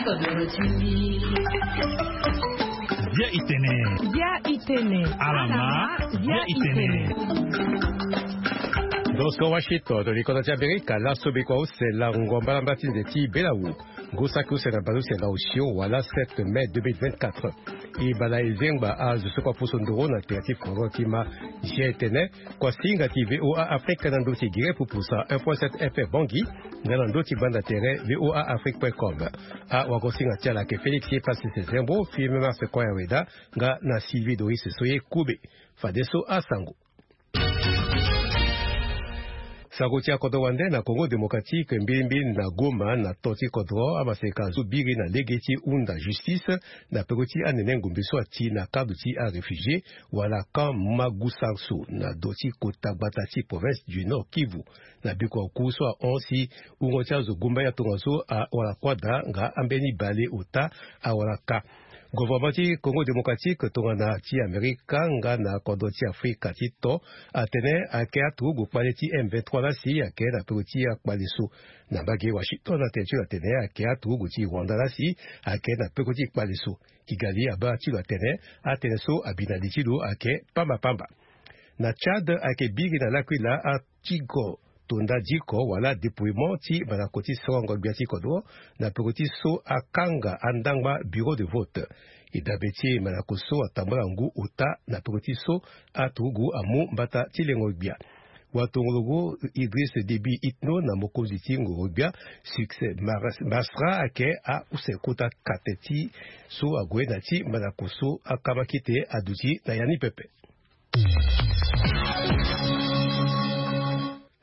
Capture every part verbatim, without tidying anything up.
Bia itene. Bia itene. Alama. Bia itene. Donso Washington, to likoda ti Amerika, laso bikua use lango mbalambala ti nze ti belawu. Ngu saki use na baleuse na osio wala sept mai deux mille vingt-quatre. E bala e zengba azo so kua poso ndoro na tere ti foro ti ma. Zia e tene, kua singa ti VOA Afrique na ndö ti gere pupusa un point sept F M Bangui, nga na ndö ti banda tere VOA Afrique point com. Awagosinga ti ala ayeke Félix Passis Zembo, Firmin Mars Koya Weda, nga na Sylvie Doris Soye Kobe. Fadeso asango. Sango ti akodro wande na Congo Démocratique, mbilimbili na Goma, na to ti kodro, amaseka so biri na lege ti hunda justice na peko ti anene ngombe so ati na cadre ti aréfugié wala camp Magusanso na do ti kota gbata ti province du Nord Kivu. Na bikua oku so ahon si wungo ti azo gumbaya tongaso awara kuâ daa nga ambeni bale ota awara ka. Gouvernement ti Congo Démocratique tongana ti Amerika nga na kodro ti Afrika ti to atene ayeke aturugu kpale ti M vingt-trois lasi ayeke na peko ti akpale so. Na mbage Washington atene ti lo atene ayeke aturugu ti Rwanda lasi ayeke na peko ti kpale so. Kigali abaa ti lo atene atënë so abi na li ti lo ayeke pambapamba. Na Tchad ayeke biri na lakui laa atigo to nda diko wala dépouillement ti mandako ti sorongo gbia ti kodro na peko ti so akanga andangba bureau de vote. E dabe ti mandako so atambula ngu ota na peko ti so aturugu amu mbata ti lengo gbia. Watongologo Idriss Déby Itno na mokonzi ti ngoro gbia Succès Mas-, Masra ayeke ause kota kate ti so ague na ti mandako so akamakite aduti na ya ni pepe.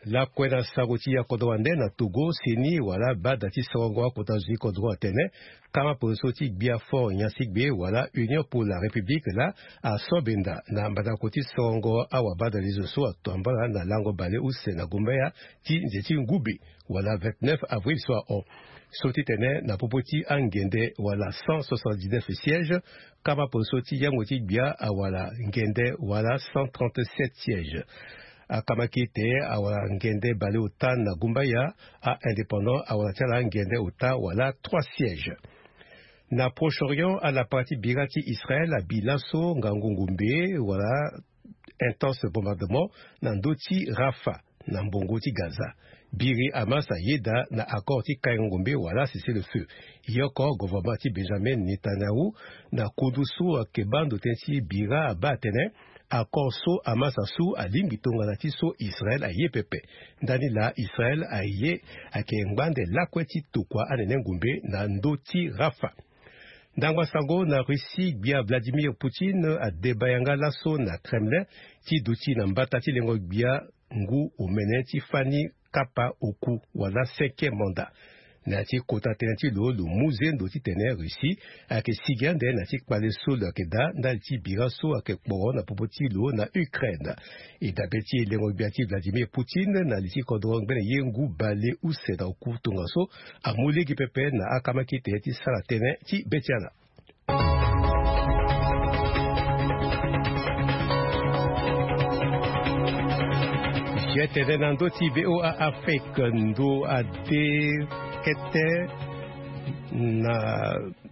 Lakue na sango ti akodro wande na Togo, CENI wala bada ti sorongo akota zo ti kodro atene kama poso ti gbia fort nyansigbe wala Union pour la République laa aso benda na mbandako ti sorongo awabadalezo so atambula na lango bale use na gumbaya ti nze ti ngube wala vingt-neuf avril so ahon. So ti tene na popo ti angende wala cent soixante-dix-neuf sièges, kama poso ti yango ti gbia awala ngende wala cent trente-sept sièges. Akamakite awala ngende bale ota na gumbaya, a-indépendant awala ti ala ngende ota wala trois sièges. Na Proche-Orient, alapa ti bira ti Israël abi laso ngangu ngombe wala intense bombardement na ndö ti Rafah na mbongo ti Gaza. Biri Hamas ayeda na accord ti kaingo ngombe wala cessez-le-feu. Yoko gouvernement ti Benjamin Netanyahu na kundu so ayeke baa ndo tënë ti bira abaa atene accord so Hamas asu alingbi tongana ti so Israël aye pepe. Ndani laa Israël aye ayeke ngbande lakue ti tokua anene ngombe na ndö ti Rafah. Ndangba sango na Russie, gbia Vladimir Poutine adeba yanga laso na Kremlin ti duti na mbata ti lengo gbia ngu omene ti fani kapa oku wala cinquième mandat. Na ya ti kota tënë ti lo, lo mu zendo titene Russie ayeke sigi ande na ya ti kpale so lo yeke daa ndali ti bira so ayeke kporo na popo ti lo na Ukraine. E dabe ti lengo gbia ti Vladimir Poutine na li ti kodro ngbene ye ngu bale use na oku tongaso amu lege pepe na akamakite ti sara tënë ti be ti ala. Sietene na ndö ti VOA Afrique, ndo ade kete na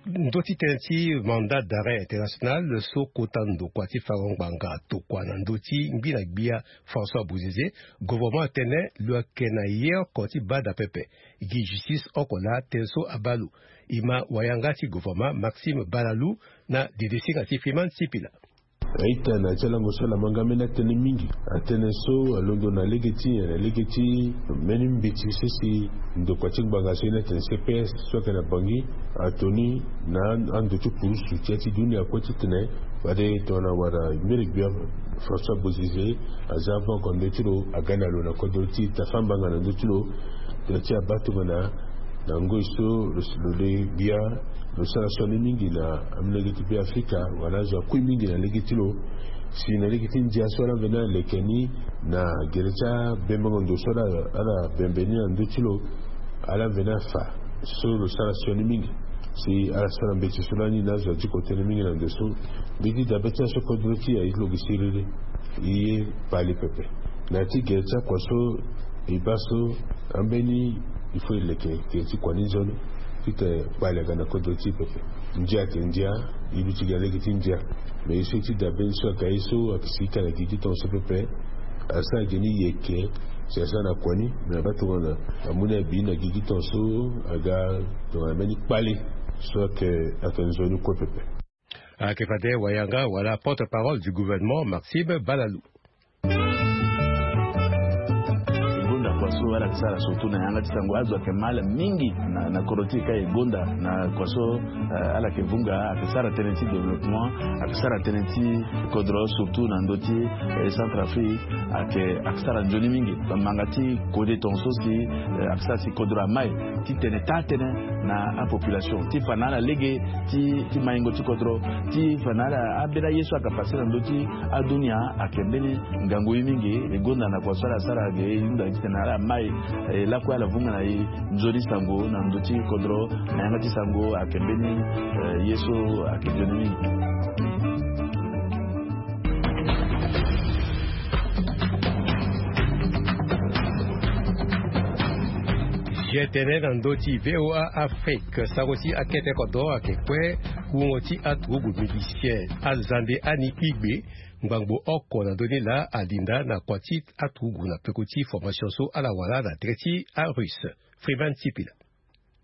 ndö ti tënë ti mandat d'arrêt international so kota ndokua ti farango ngbanga tokua na ndö ti ngbi na gbia François Bozizé. Gouvernement atene lo yeke na ye oko ti bada pepe gi justice oko laa tënë so abaa lo. E ma wayanga ti gouvernement Maxime Balalou na dede singa ti Fiman Sipila. A-ita na ya ti alango so ala ma nga mbeni atënë mingi. Atënë so alondo na lege ti nyen? Na lege ti mbeni mbeti so si ndokua ti ngbanga so ye ni atene C P S so ayeke na Bangui atoni na ando ti purusu ti ya ti dunia kue titene fade tongana wara mere gbia François Bozizé aza avant oko na ndö ti lo aga na lo na kodro ti tafa mbanga na ndö ti lo. Tongana ti abaa tongana na ngoi so lo, lo le gbia lo sara sioni mingi na amolenge ti Be Afrika wala azo akui mingi na lege ti lo. Si na lege ti ndia so ala mveni aleke ni na gere ti abembengo ndo so ala, ala bembe ni na ndö ti lo, ala mveni afa so lo sara sioni mingi. Si ala sara mbeti so lani na azo adiko tënë mingi na ndo so. Mbeti dabe ti aso kodro ti e aye ti lo gi siriri. E ye bale pepe. Na ya ti gere ti akua so e baa so ambeni il faut e leke gere ti kua ni nzoni. Ti tene kpale aga na kodro ti e pepe. Ndia ayeke ndia. E luti ga lege ti ndia. Me ye so e ti dabe ni so ayeke aye so ayeke si ka na gigi ti tongaso pepe. Asara ge ni yeke. Si asara na kua ni me na baa tongana amu ni abi na gigi tongaso aga tongana mbeni kpale so ayeke ayeke nzoni kue pepe. Ayeke fade wayanga wala porte-parole du gouvernement Maxime Balalou. Gonda kua so ala yeke sara surtout na yanga ti sango azo ayeke mal mingi na kodro ti e ka e gonda na kua so. Ala yeke vunga ayeke sara tënë ti développement, ayeke sara tënë ti kodro surtout na ndö ti Centrafrique. Ayeke ayeke sara nzoni mingi manga ti kode tongaso si ayeke sara si kodro amai ti tene taa tënë na apopulation ti fa na ala lege ti maingo ti kodro ti fa na ala ambeni aye so ayeke pase na ndö ti adunia. Ayeke mbeni ngangu ye mingi. E gonda na kua so ala sara ge e hunda titene ala mai e lakue ala vunga na e nzoni sango na ndö ti kodro na yanga ti sango ayeke mbeni ye so ayeke nzoni mingi. Ye tene na ndö ti VOA Afrique, sango ti akete kodro ayeke kue. Wungo ti aturugu musicien Azande Annie Kpigbe, ngbangbo oko na ndö ni laa alinda na kua ti aturugu na peko ti formation so ala wara na tere ti arusse. Freeman Sipila.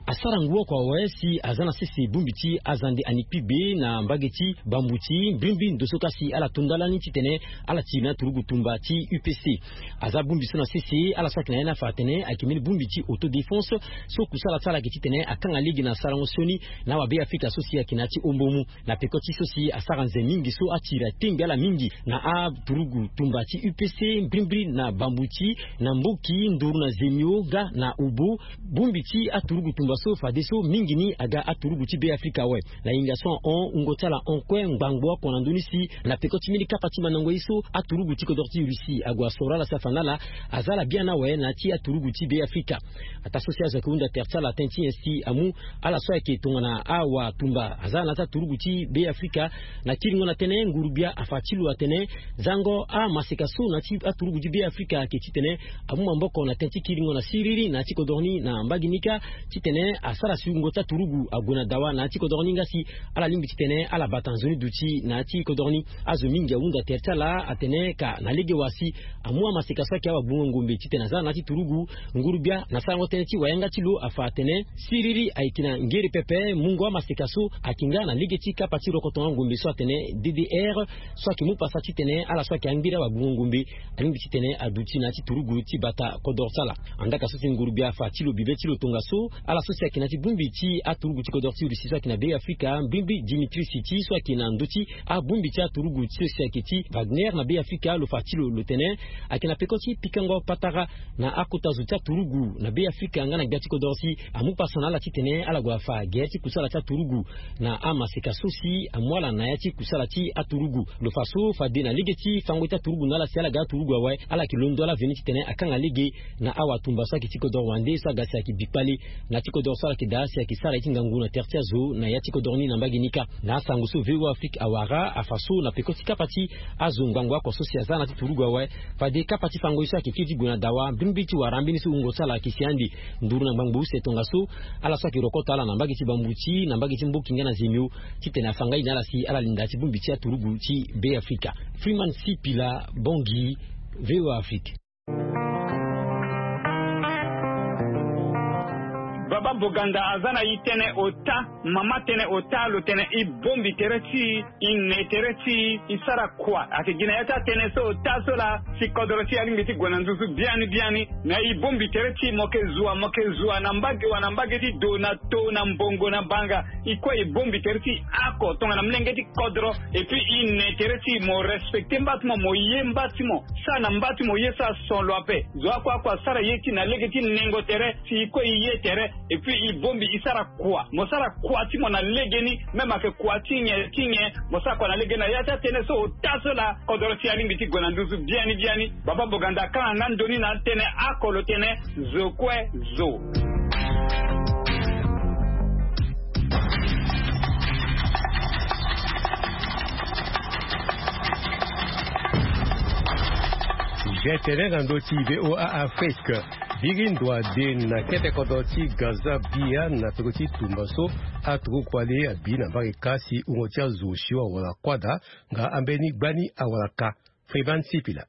Asara ngu oko awe si aza na sese bongbi ti Azande Annie Kpigbe na mbage ti Bambuti, mbrimbri ndo so ka si ala to ndalani titene ala tiri na aturugu tumba ti U P C. Aza bongbi so na sese ala so ayeke na ya ni afa atene ayeke mbeni bongbi ti autodéfense so kusala ti ala ayeke titene akanga lege na sarango sioni na awabe Afrika so si ayeke na ya ti ombo mu. Na peko ti so si asara nze mingi so atiri atengbi ala mingi na aturugu tumba ti U P C, mbrimbri na Bambuti, na Mboki, Nduru na Zemio nga na Obo. Bongbi ti aturugu tumba so fadeso mingi ni aga aturugu ti Be Afrika awe. Na hinga so ahon wungo ti ala hon kue ngbangbo oko na ndö ni si na peko ti mbeni kapa ti mandango ye so aturugu ti kodro ti Russie ague asoro ala si afa na ala aza ala biani awe na ya ti aturugu ti Be Afrika. Ataa so si azo ayeke hunda tere ti ala tënë ti nyen si amu ala so ayeke tongana awatumba aza na ya ti aturugu ti Be Afrika. Na kiringo na tënë, nguru-gbia afa ti lo atene zango amaseka so na ya ti aturugu ti Be Afrika ayeke titene amu maboko na tënë ti kiringo na siriri na ya ti kodro ni na mbage ni kâ, titene asara si wungo ti aturugu ague na dawa na ya ti kodro ni nga si ala lingbi titene ala bata nzoni duti na ya ti kodro ni. Azo mingi ahunda tere ti ala atene ka na lege wa si amu amaseka so ayeke awagbungo ngombe titene aza na ya ti turugu. Nguru-gbia na sarango tënë ti wayanga ti lo afa atene siriri ayeke na ngere pepe, mungo amaseka so ayeke nga na lege ti kapa ti rokotonga ngombe so atene D D R, so ayeke mu pasa titene ala so ayeke angbiri awagbungo ngombe alingbi titene aduti na ya ti turugu ti bata kodro ti ala. Andaa ka so si nguru-gbia afa ti lo bibe ti lo tongaso, ala so si ayeke na ya ti bongbi ti aturugu ti kodro ti Russie so ayeke na Be Afrika, mbrimbri Dimitri Siti so ayeke na ndö ti abongbi ti aturugu ti so si ayeke ti Wagner na Be Afrika, lo fa ti lo lo tene ayeke na peko ti pikango patara na akota zo ti aturugu na Be Afrika nga na gbia ti kodro si amu pasa na ala titene ala gue afa gere ti kusala ti aturugu na amaseka so si amu ala na ya ti kusala ti aturugu. Lo fa so fade na lege ti fango ti aturugu na ala si ala ga aturugu awe, ala yeke londo ala veni titene akanga lege na awatumba so ayeke ti kodro wande so aga si ayeke bi kpale na ya ti kodro so ala yeke daa si ayeke sara ye ti ngangu na tere ti azo na ya ti kodro ni na mbage ni kâ. Na asango so VOA Afrique awara afa so na peko ti kapa ti azo ngbangbo oko so si aza na ya ti turugu awe, fade kapa ti fango ye so ayeke kiri ti gue na dawa, mbrimbri ti wara ambeni so wungo ti ala ayeke si ande nduru na ngbangbo use tongaso, ala so ayeke rokoto ala na mbage ti Bambuti, na mbage ti Mboki nga na Zemio, titene afa ngai na ala si ala linda ti bongbi ti aturugu ti Be Afrika. Freeman Sipila, Bangui, VOA Afrique. Baba Boganda aza na e tënë ota, mama tënë ota, lo tene e bongbi tere ti e, e ne tere ti e, e sara kua. Ayeke gi na ya ti atënë so ota so laa si kodro ti e alingbi ti gue na nduzu biani biani. Na e bongbi tere ti e, mo yeke zua, mo yeke zua na mbage wa, na mbage ti do, na to, na mbongo, na banga. E kue e bongbi tere ti e oko tongana molenge ti kodro. Et puis e ne tere ti e, mo respecter mba ti mo, mo ye mba ti mo, sara na mba ti mo ye so ason lo ape. Zo oko oko asara ye ti e na lege ti nengo tere, si e kue e ye tere. Et puis e bongbi e sara kua, mo sara kua ti mo na legeni. Même ayeke kua ti nyen ti nyen, mo sara kua na legeni. Na ya ti atënë so ota so laa kodro ti e alingbi ti gue na nduzu biani biani. Baba Boganda akanga nga ndo ni na atënë oko, lo tene zo kue zo. Sujet tene na ndö ti VOA Afrique. Biri ndo ade na kete kodro ti Gaza Bia na peko ti tumba so aturugu kua le abi na mbage kâ si wungo ti azo osio awara kuâ daa nga ambeni gbani awara kâ. Freeman Sipila.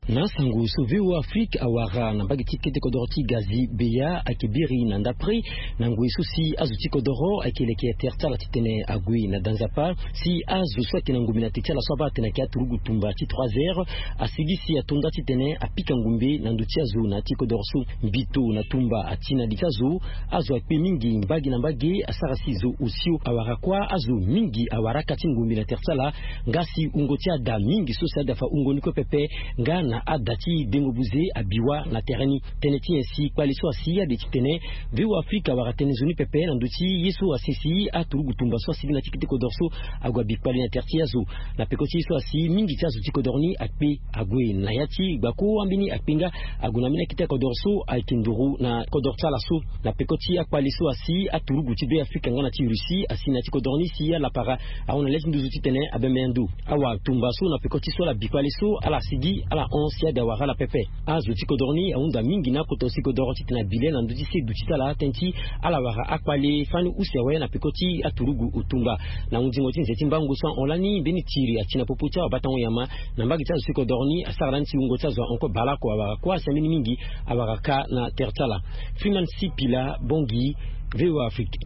Na asango so V O A Afrique awara na mbage ti kete kodro ti Gaza Bia ayeke biri na ndapre na ngoi so si azo ti kodro ayeke leke tere ti ala titene ague na da nzapa si azo so ayeke na ngumbe na te ti ala so abaa atene ayeke aturugu tumba ti trois heures asigi si ato nda titene apika ngumbe na ndö ti azo na ya ti kodro so. Mbito na tumba ati na li ti azo. Azo akpe mingi mbage na mbage asara si zo osio awara kuâ. Azo mingi awara aka ti ngumbe na tere ti ala nga si wungo ti ada mingi so si ada fa wungo ni kue pepe nga na ada ti dengo buze abi wâ na tere ni. Tënë ti nyen si kpale so asi ade titene V O A Afrique awara tënë nzoni pepe na ndö ti ye so asi si aturugu tumba so asigi na ti kete kodro so ague abi kpale na tere ti azo. Na peko ti ye so asi mingi ti azo ti kodro ni akpe ague na ya ti gbako ambeni akpe nga ague na ambeni akete kodro so ayeke nduru na kodro ti ala so. Na peko ti akpale so asi aturugu ti Beafrika nga na ti Russie asi na ya ti kodro ni si alapara ahon na le ti nduzu titene abembe ndo. Awa tumba so na peko ti so ala bi kpale so ala sigi ala hon si ade awara ala pepe. Azo ti kodro ni ahunda mingi na akota use kodro titene abi le na ndö ti seduti ti ala tënë ti ala wara akpale fani use awe na peko ti aturugu otumba. Na hundingo ti nze ti mbango so ahon lani mbeni tiri ati na popo ti awabatango nyama na mbage ti azo ti kodro ni asara lani si wungo ti azo ahon kue baleoko awara kuâ si ambeni mingi awara kâ na tere ti ala. Freeman Sipila, Bangui, V O A Afrique.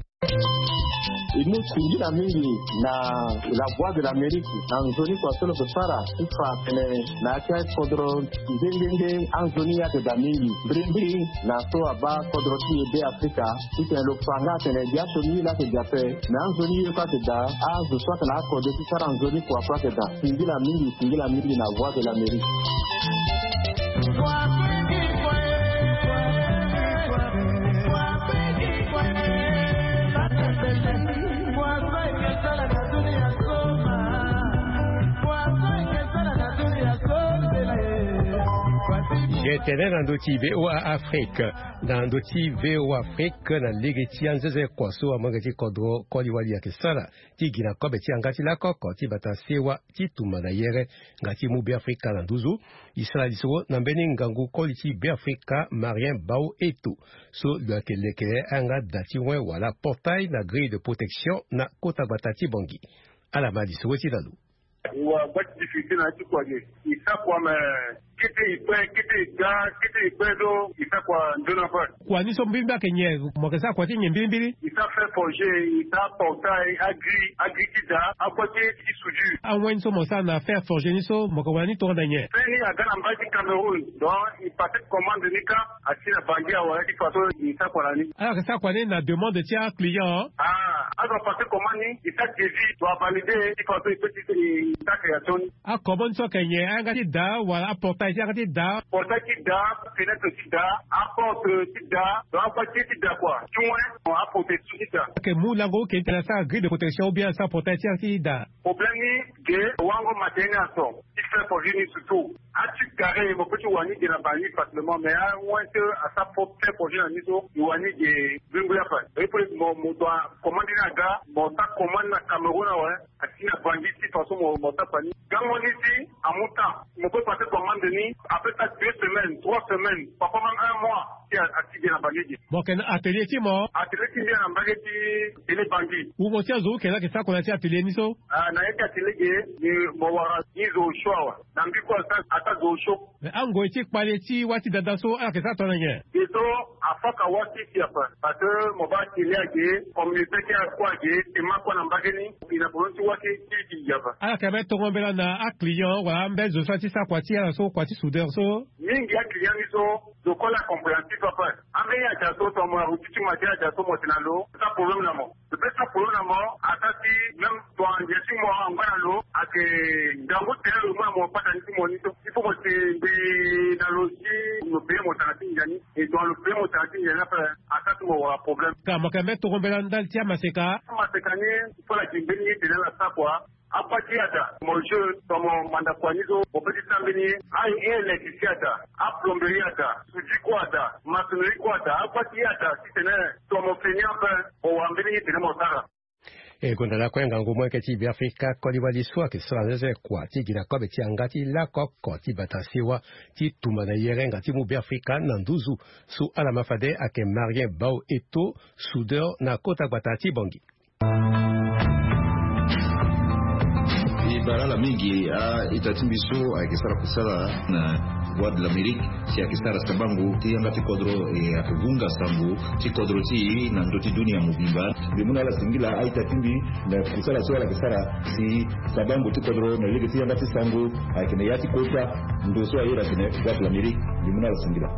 E mu singila mingi na La Voix de l'Amérique na nzoni kua so lo yeke sara ti fa atene na ya ti akodro nde nde nde anzoni ye ayeke daa mingi mbirimbiri na so abaa kodro ti e Beafrika titene lo fa nga atene biaso ni ye laa ayeke daa ape. Me anzoni ye kue ayeke daa azo so ayeke na akode ti sara nzoni kua kue ayeke daa. Singila mingi, singila mingi na Voix de l'Amérique. Ye tene na ndö ti V O A Afrique, na ndö ti V O A Afrique na lege ti anzenze kua so amolenge ti kodro koli wali ayeke sara ti gi na kobe ti yanga ti lakoko ti bata sewa ti tumba na yere nga ti mu Beafrika na nduzu. E sara lisoro na mbeni ngangu koli ti Beafrika Marien Bao Eto so lo yeke leke ayanga da ti wen wala portail na grille de protection na kota gbata ti Bangui. Ala ma lisoro ti na lo. Wa gba ti difficulté na ya ti kua ge. E sara kua me kete e kpe, kete e ga, kete e kpe so e sara kua nzoni ape. Kua ni so mbirimbiri ayeke nyen? Mo yeke sara kua ti nyen mbirimbiri? E sara fer forgé, e sara portail, agrille, agrille ti da, akua ti, ti soudure. Awen ni so mo sara na fer forgé ni so mo yeke wara ni tongana nyen? Fer ni aga na mbage ti Cameroun. Donc e passer commande ni kâ, asi na Bangui awe ti façon e sara kua na ni. Ala yeke sara kua ni na demande ti aclient? Ah, azo apasser commande ni, e sara devis, lo avalider ti façon e peut ti sara création ni. Akobo ni so ayeke nyen? Ayanga ti da wala aportail ti yanga ti da? Portail ti da, fenêtre ti da, aporte ti da, donc akua ti ye ti da kua ti wen, aprotection ti da. Ayeke mu lango oke ti tene asara grille de protection ou bien asara portail ti yanga ti da? Problème ni ge, wango matériel ni aso ti fer forgé ni surtout. Ati carré mo peut ti wara ni ge na Bangui facilement, mais awen ti asara fer forgé na ni so e wara ni ge. Bringbi ape. Et puis mo, mo doit commande ni aga, mo sara commande na Cameroun awe. Asi na Bangui ti façon mo, mo sara kua ni. Gango ni si amu temps. Mo peut passer commande ni après ça deux semaines, trois semaines, parfois même un mois. Si a, asi ge na Bangui ge. Mo yeke na atelier ti mo? Atelier ti mbi ayeke na mbage ti tene Bangui. Wungo ti azo oke laa ayeke sara kua na ya ti atelier ni so? Ah, na ya ti atelier ge, ni mo wara ni zo osio awe. Na mbi kue asara, asara zo osio. Mais angoi ti kpale ti wâ ti dada so ala yeke sara tongana nyen? Ge so afaka wâ ti si ape. Parce que mo baa atelier age, communauté ti akua age, tema kue na mbage ni. E na problème ti wâ ti, ti, ti gi ape. Ala yeke ambeni tongo mbela na aclient wala ambeni zo so aye ti sara kua ti ala so, kua ti soudeur so? Mingi aclient ni so, zo kue la compréhensif ape. Ambeni aja so tongana mo na routine ti mo aye ti aja so mo tene na lo, sara problème na mo. Lo peut sara problème na mo, asara si même tongana ndia ti mo angba na lo, ayeke ngangu tere lo mu na mo patani ti mo ni so. Il faut mo tene mbi na lo si mo payer mo tanga ti ndia ni. E tongana lo payer mo tanga ti ndia ni ape, asara si mo wara problème. Ka mo yeke ambeni tongo mbela ndali ti amaseka? Amaseka ni, il faut la gi mbeni ye tene ala sara kua. Akua ti ada, mo jeune, tongana mo manda kua ni so, mo peut ti sara mbeni ye. A-électricien ada, aplomberie ada, soudure kue ada, maçonnerie kue ada, akua ti ada, titene tongana mo feni ape, mo wara mbeni ye tene mo sara. E gonda lakue ngangu molenge ti Beafrika koli wali so ayeke sara nzenzele kua ti gi na kobe ti yanga ti lako oko ti bata sewa ti tumba na yerenga ti mu Beafrika na nduzu so ala ma fade ayeke Marien Bao Eto, soudeur na kota gbata ti Bangui. E bale ala mingi a-ita ti mbi so ayeke sara kusala na Voix de l'Amérique, si ayeke sara sabango ti yanga ti kodro, e ayeke gunga sango ti kodro ti e na ndö ti dunia mobimba. Mbi mu na ala singila a-ita ti mbi na kusala so ala yeke sara si sabango ti kodro na lege ti yanga ti sango ayeke na ya ti kota ndo so aye na tene Voix de l'Amérique. Mbi mu na ala singila.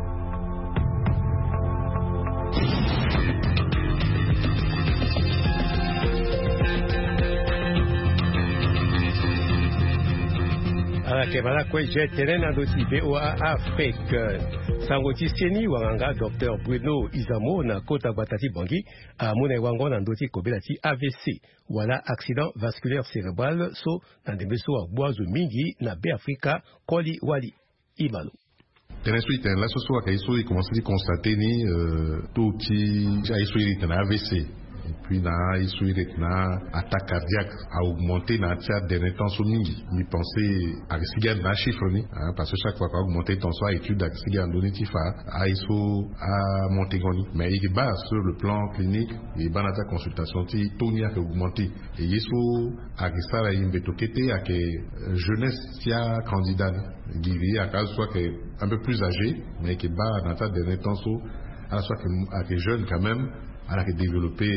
Ala yeke bale lakue je tene na ndö ti V O A Afrique. Sango ti seni wanganga docteur Bruno Izamo na kota gbata ti Bangui amu na e wango na ndö ti kobela ti A V C wala accident vasculaire cérébral so na ndembe so agbu azo mingi na Beafrika koli wali. Imalo. Tënë so e tene laso so ayeke ye so e komanse ti constate ni, euh, taux ti aye so iri tene A V C et puis na aye so iri tene attaque cardiaque a augmenté na ya ti aderni temps so mingi. Mbi pense ayeke sigi ande na achiffre ni, hein, parce que chaque fois ka augmenté temps so a-étude ayeke sigi ande ni ti fa aye so amonté ngo ni. Mais e yeke baa sur le plan clinique, e baa na ya ti aconsultation ti taux ni ayeke augmenté. E ye so ayeke sara e mbeto kete ayeke, euh, jeunesse ti acandidat ni. Gigi ayeke azo so ayeke un peu plus âgé, mais e yeke baa na ya ti aderni temps so ala so ayeke, ayeke jeune quand même, ala yeke développé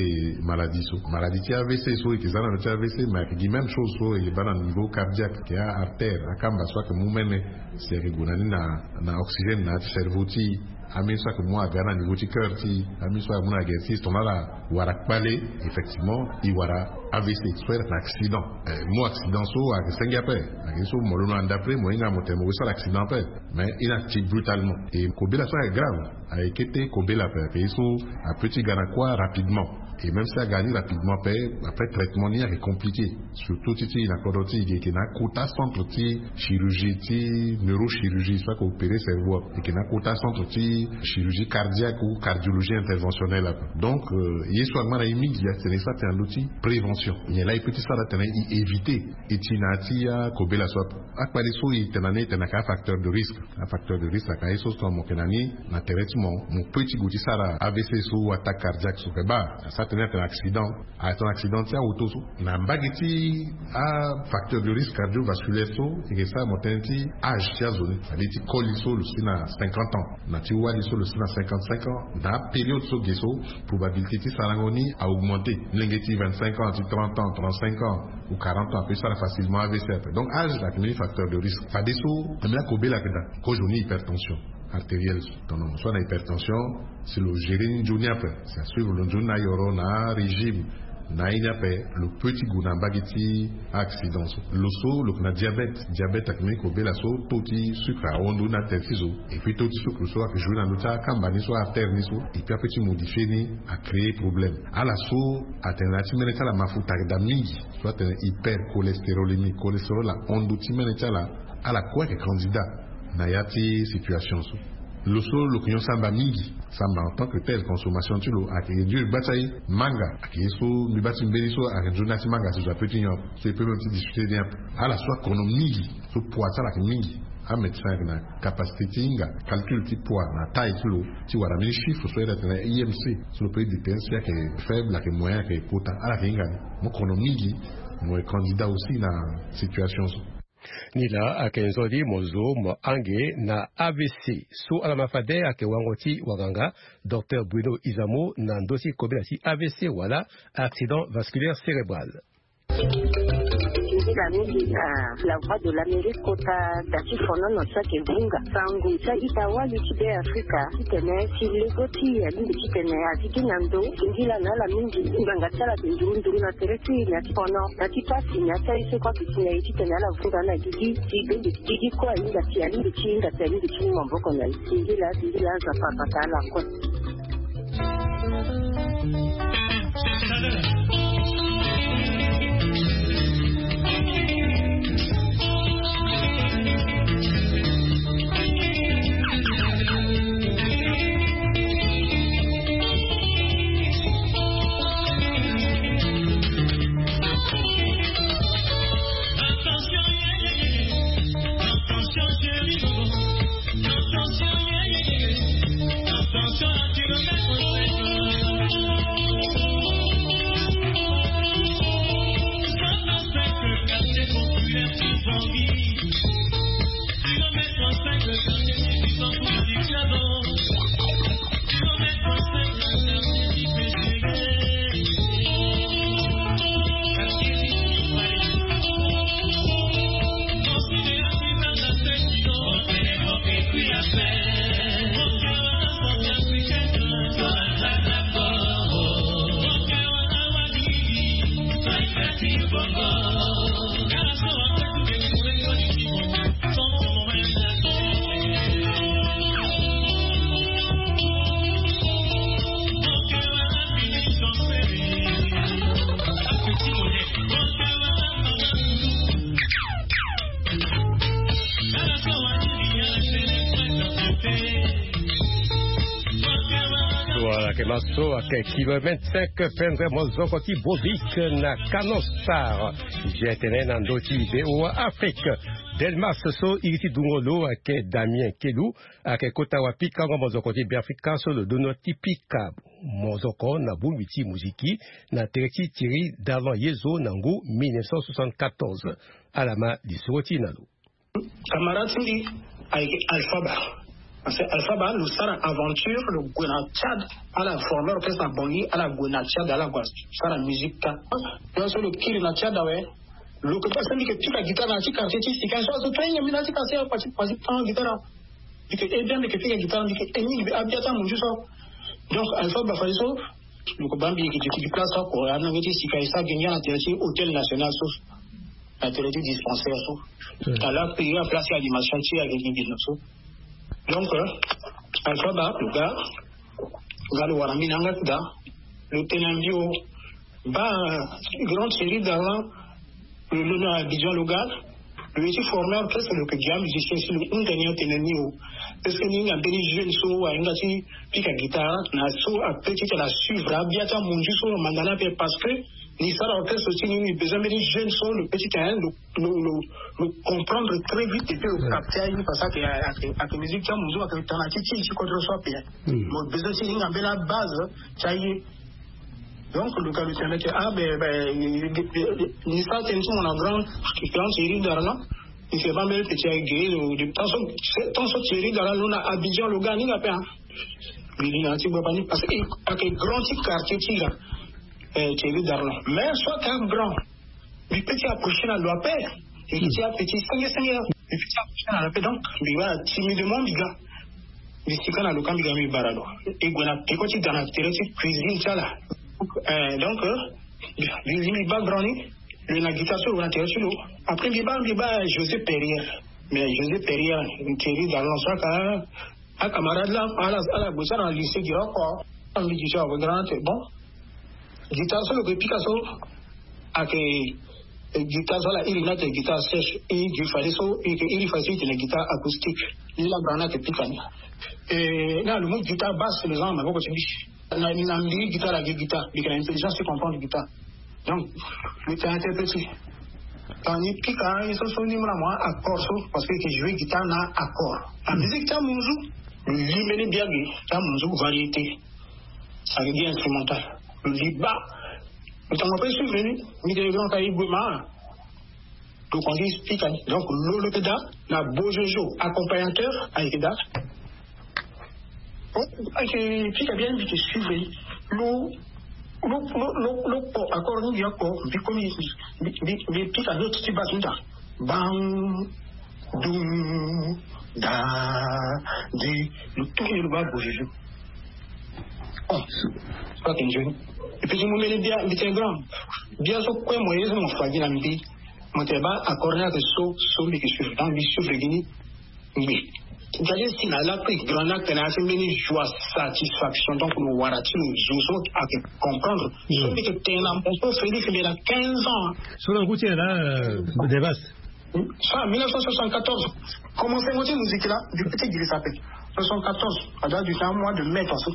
maladie so. Maladie ti A V C so e yeke za na ndö ti A V C, mais ayeke gi même chose so e yeke baa na niveau cardiaque, ayeke a-artère, akamba so ayeke mu mene si ayeke gue na ni na, na oxygène na ya ti cerveau ti e. Ambeni so ayeke mu aga na niveau ti cœur ti e, ambeni so ayeke mu na gere ti e, si tongana ala wara kpale, effectivement e wara A V C so ayeke na accident. Eh, mu accident so ayeke senge ape. Ayeke ye so mo londo na ndapre mo hinga mo tene mo gue sara accident ape. Mais e na ti brutalement. E kobela so ayeke grave. Ayeke kete kobela ape, ayeke ye so apeut ti ga na kuâ rapidement. Et même si aga ni rapidement ape, après traitement ni ayeke compliqué. Surtout ti ti na kodro ti e ge, e yeke na akota centre ti chirurgie ti neurochirurgie so ayeke opéré cerveau ape. E yeke na akota centre ti chirurgie cardiaque ou cardiologie interventionnelle ape. Donc, euh, ye so angba na e mingi atene so atene na ndö ti prévention. Nyen laa e peut ti sara atene e éviter e ti na ya ti akobela so ape. Akpale so e tene na ni e tene ayeke afacteur de risque. Afacteur de risque ayeke aye so so mo yeke na ni na tere ti mo, mo peut ti gue ti sara A V C so ou attaque cardiaque so. Ayeke baa, asara tënë atene accident. Atene accident ti aauto so. Na mbage ti afacteur de risque cardiovasculaire so, e yeke sara mo tene ti âge ti azo ni. C'est-à-dire ti koli so lo si na cinquante ans, na ti wali so lo si na cinquante-cinq ans. Na apériode so ge so, probabilité ti sarango ni a augmenté. Molenge ti vingt-cinq ans, ti trente ans, trente-cinq ans ou quarante ans apeut ti sara facilement A V C ape. Donc âge ayeke mbeni facteur de risque. Fadeso ambeni akobela ayeke daa. Kozoni hypertension artérielle so, tongana mo so ana hypertension, si lo gérer ni nzoni ape, si asuivre lo nzoni na ayoro na arégime, na aye ni ape, lo peut ti gue na mbage ti a-accident so. Lo so lo yeke na diabète. Diabète ayeke mbeni kobela so taux ti sucre ahon ndo ni na tere ti zo. Et puis taux ti sucre so ayeke jouer na ndö ti akamba ni so, artère ni so. Et puis apeut ti modifier ni, acréer problème. Ala so atene na ya ti mene ti ala mafuta ayeke daa mingi, so atene hypercholestérolémie, cholestérol ahon ndo ti mene ti ala. Ala kue ayeke candidat na ya ti situation so. Lo so lo yeke nyon samba mingi, samba en tant que tel, consommation ti lo ayeke réduire gba ti aye. Manga ayeke ye so mbi baa ti mbeni so ayeke nzoni na ya ti manga si zo apeut ti nyon ape, so e peut même ti discuter ni ape. Ala so akono mingi, so poids ti ala ayeke mingi, amédecin ayeke na capacité ti hinga calcul ti poids na taille ti lo, ti wara mbeni chiffre so ayeke atene I M C, so lo peut déterminer si ayeke faible, ayeke moyen, ayeke kota. Ala yeke hinga ni. Mo kono mingi, mo yeke candidat aussi na situation so. Nilaa ayeke nzoni mo zo mo hange na A V C so ala ma fade ayeke wango ti wanganga docteur Bruno Izamo na ndö ti kobela ti A V C wala accident vasculaire cérébral. Nzila mingi na La Voix de l'Amérique kota da ti fonono so ayeke vunga sango ti a-ita wali ti Beafrika titene si lego ti e alingbi titene aziki na ndo. Singila na ala mingi. Ngbanga ti ala ayeke nduru nduru na tere ti e na ya ti fono, na ya ti pasi, na ya ti aye so kue ayeke si na e titene ala vunga na gigi. Ti beni gigi kue ahinga ti, alingbi ti hinga ti, alingbi ti mu maboko na e. Singila, singila, Nzapa abata ala kue. Voilà, ke maso ake kilomètre cinq, pendre mozoko ti Bovik na Canostar. Jetene na ndo ti Beoa Afrique. Delmas so iri ti dungo lo ake Damien Kelu, ake kota wa pikango mozoko ti Beafrika so lo dono ti pika mozoko na bongbi ti muziki na tere ti Thierry Darlan Yezo na ngu mille neuf cent soixante-quatorze. Ala ma lisoro ti na lo. Camarade ti mbi ayeke Alpha Ba. Parce que Alpha Ba lo sara aventure, lo gue na Tchad, ala former orchestre na Bangui, ala gue na Tchad, ala gue sara musique ka. Yo so lo kiri na Tchad awe, lo ke pase mbi ke pika guitare na ya ti quartier ti Sika so, azo to hinga mbi na ya ti quartier awe, pasi pasi tan guitare awe. Mbi ke, eh bien, mbi ke pika guitare, mbi ke, eh, mingi mbi abia ti amunzu so. Donc Alpha Ba fade so, lo ke baa mbi yeke duti gi place oko, ana nge ti Sika e sara gi ngia na tere ti Hôtel National so, na tere ti dispensaire so. Ala payé place ti animation ti ayeke gi bino so. Donc, euh, Alpha Ba lo ga, lo ga lo wara mbi na yanga ti da, lo tene na mbi o, baa grand Thierry Darlan, lo londo na Abidjan lo ga, lo ye ti former orchestre, lo yeke gi amusicien si lo hunda ni atene ni o. Est-ce que ni hinga mbeni jeune so ahinga ti pika guitare na so ape ti tene asuivre abia ti amunzu so amanda ni ape, parce que ni sara orchestre ti ni, ni besoin mbeni jeune so lo pe ti tene lo, lo, lo, lo comprendre très vite et puis lo capter aye, parce que ake, ake, ake musique ti amunzu ake tana ti ti ti kodro so ape. Mo besoin ti hinga mbeni abase ti aye. Donc lo ga lo tene mbi ayeke, ah ben, ben, ni sara tënë ti mo na grand, grand Thierry Darlan. Mbi yeke baa mbeni petit ayeke ge lo, de temps so, temps so Thierry Darlan lo na Abidjan lo ga ni ga ape, hein. Mbi li na ya ti gbagba ni parce que ayeke grand ti quartier ti ga, eh, Thierry Darlan. Mais so ake grand, mbi pe ti approcher na lo ape. Mbi ti ape ti senge senge, mbi pe ti approcher na lo ape, donc mbi wara timidement mbi ga. Mbi sika na lo ka mbi ga mbi bara lo. E gue na peko ti da na tere ti cuisine ti ala. Eh, donc, euh, mbi, mbi, mbi baa grand ni, lo na guitare so lo na tere ti lo. Après mbi baa, mbi baa José Perrier. Mais José Perrier, Thierry Darlan so aka, acamarade la, ala, ala gue sara na lycée Giroko. Mbi gi so ake grand, bon. Guitare so lo ke pika so, ake, eh, guitare so ala iri ni ate guitare sèche, e gi fade so e ke iri fade so e tene guitare acoustique. Ni la grand ni ake pika ni. Eh, na lo mu guitare basse, lo za na maboko ti mbi. Na, na mbi guitare ake guitare, mbi yeke na intelligence ti comprendre guitare. Donc lo tene ate petit. Tongana ni pika ye so, so ni mu na mo accord so, parce que e ke jouer guitare na accord. Na musique ti amunzu, lo li mbeni biagi ti amunzu, variété. Ake gi instrumental. Lo li baa. Lo tongana pe suivre ni, mbi ke grand ka e gue ma. Donc on dit explique, donc lo, lo ke da na Bojojo, accompagnateur, ayeke da. Bon, ayeke pika bien, mbi ke suivre. Lo, lo, lo, lo, lo kpo accord ni, mbi akpo, mbi komi, mbi, mbi, mbi pika note ti basse ni da. Bang, dung, da, di, lo tourne lo baa Bojojo. Oh, so ayeke nzoni. Et puis ti mu mbeni bia, mbi tene grand. Bia so kue mo ye so mo fa gi na mbi. Mo tene baa accord ni ayeke so, so mbi yeke suivre. Donc mbi suivre gi ni. Mbi. Titadi si na la pe grand ni atene asi mbeni joie, satisfaction. Donc lo wara ti lo zo so ayeke comprendre. So mbi yeke tene na mo so Félix mbi na quinze ans. So na ngu ti tene la, euh, Devas. So na mille neuf cent soixante-quatorze, commencé mo ti musique la, mbi pe ti girisa ape. Soixante-quatorze, a date du temps mois de mai, parce que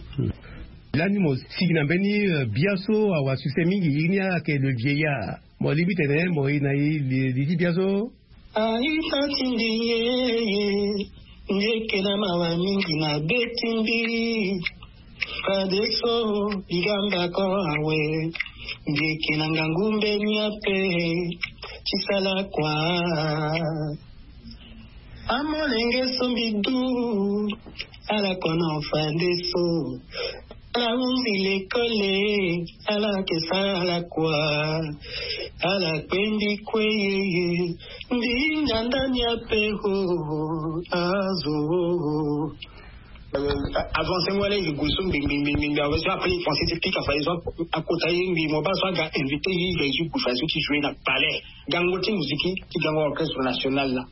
lani mo sigi na mbeni, euh, bia so awa succès mingi, iri ni ayeke Le Vieillard. Mo lingbi tene mo iri na e li, li ti bia so. Aita ti mbi yeye, mbi yeke na mawa mingi na be ti mbi. Fadeso mbi ga mbako awe, mbi yeke na ngangu mbeni ape ti sala kua. Amolenge so mbi du, ala kono fadeso. Ala hunzi lekole, ala ke sala kua. Ala kpe mbi kue yeye, mbi hinga ndani ape ho, azo. Avancement wala ye gue so mbi mbi mbi mbi mbi awe so après français ti pika fa ye so akota ye mbi mo ba so aga invité ye ye ju gue fa ye so ti jouer na palais gango ti musique ti gango orchestre national la.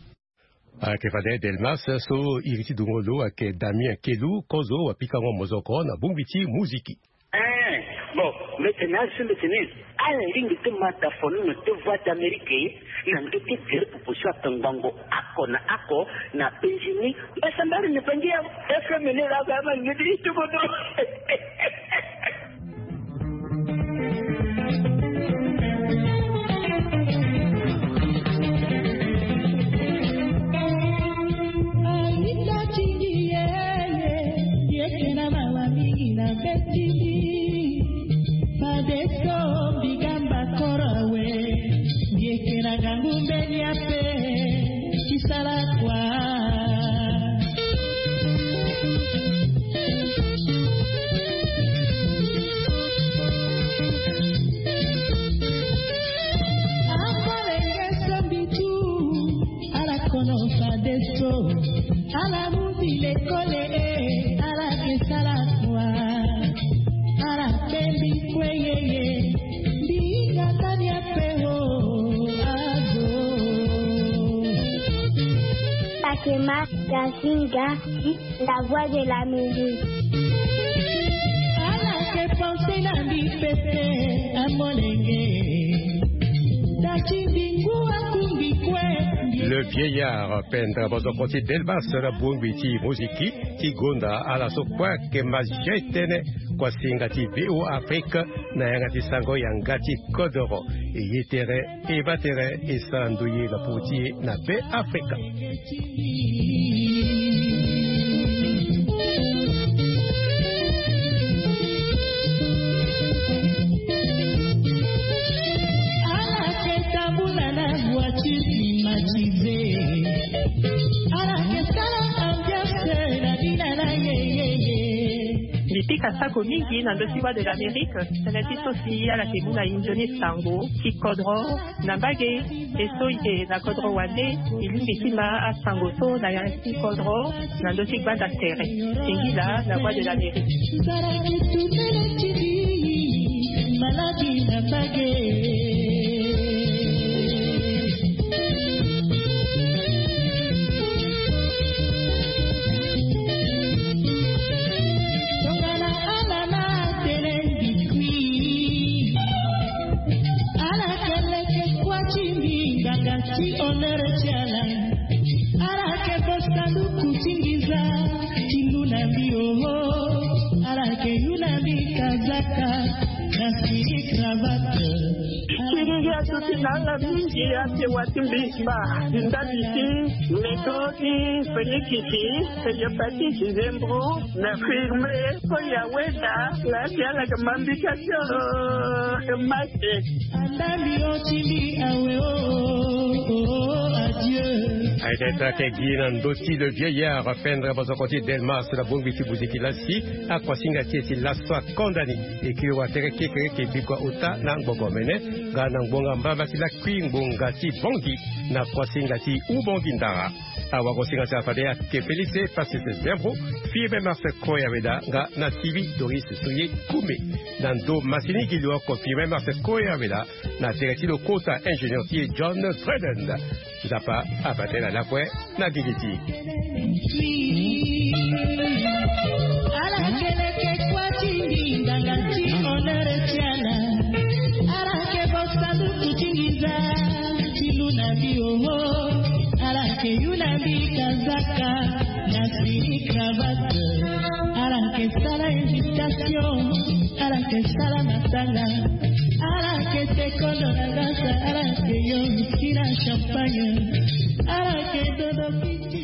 Ayeke fade Delmas so iri ti dungo lo ayeke Damien Kelu kozo wapikango mozoko na bongbi ti musique. Eh, bon, mbete na asi mbete ni. Ala ringi ti mata fono na te voix d'Amérique na ndö ti gere popo so ape ngbongo ako na ako na penzi ni. Mbasa mbari ni bangi ya F M ni la ba ma ngedi ti bodo. Alita tingi yeye, yeke na mawa mingi na beti. Fadeso mbi gamba koro awe, mbi yeke na gangu mbeni ape, ti sala kua. Akolenge so mbi tu, ala kono fadeso. Ala mundi lekole e, ala ke sala kua. Ala kpe mbi kue yeye, mbi hinga ndani ape o, azo. Pakema, Yasinga, la voix de l'Amérique. Ala ke pense na mbi pepe, amolenge. Le vieillard, pendre bozoko ti Delmas na bongbi ti moziki ti gonda ala so kue ayeke ma zia etene. Kuasinga ti V O Afrique na yanga ti sango yanga ti kodoro. E ye tere e baa tere e sara ndoye na popo ti e na Be Afrika. Ala ke tambula na bua ti climatisé. Ala ke sala ambiance na bina na yeyeye. Mbi pika sako mingi na ndö ti Voix de l'Amérique, tënë ti so si ala ke mu na e nzoni sango ti kodro na mbage. E so e yeke na kodro wande, e lingbi ti ma asango so na yanga ti kodro na ndö ti gbanda tere. Singila na Voix de l'Amérique. Nzara ke tumele ti mbi, maladi na mbage. Tongana ala na tene mbi kui. Ala ke leke kuâ ti mbi nganga ti honneur ti ala. Ala ke bosa luku ti nginza ti lu na mbi oho. Ala ke yu na mbi kazaka na siri cravate. Siri ngia tuti na ala mingi ate wa ti mbi ba ndali ti medo ti Félix ti Cléopatie ti Zembro na firme. Ko ya weda la ti ala ke ma mbi ka ti oro e ma. Andambi o ti mbi awe o, o, o, adieu. Aye tene tara ke gi na ndö ti le vieillard pendre bozoko ti Delmas na bongbi ti buziki lasi. Akuasinga ti e ti laso akonda ni. E kiri wa tere kekere ke bikua ota na ngbongo mene. Nga na ngbonga mbamba ti lakui ngbonga ti bongi na kuasinga ti ubongi ndara. Awagosinga ti ala fade ayeke Félix Passis Zembro, Firmin Marcel Koya Weda nga na Tivi Doris Soye Koumé. Na ndo masini gi lo oko Firmin Marcel Koya Weda na tere ti lo kota ingénieur ti e John Dredden. Nzapa abaa tënë na lakue na gigi ti e. Ala ke leke kuâ ti mbi nganga ti honneur ti ala. Ala ke bosa luku ti nginza ti lu na mbi oho. Ala ke yu na mbi kazaka na siri cravate. Ala ke sala invitation. Ala ke sala matanga. Ala ke sekondo na ngasa. Ala ke yo whisky na champagne. Ala ke dodo kiti.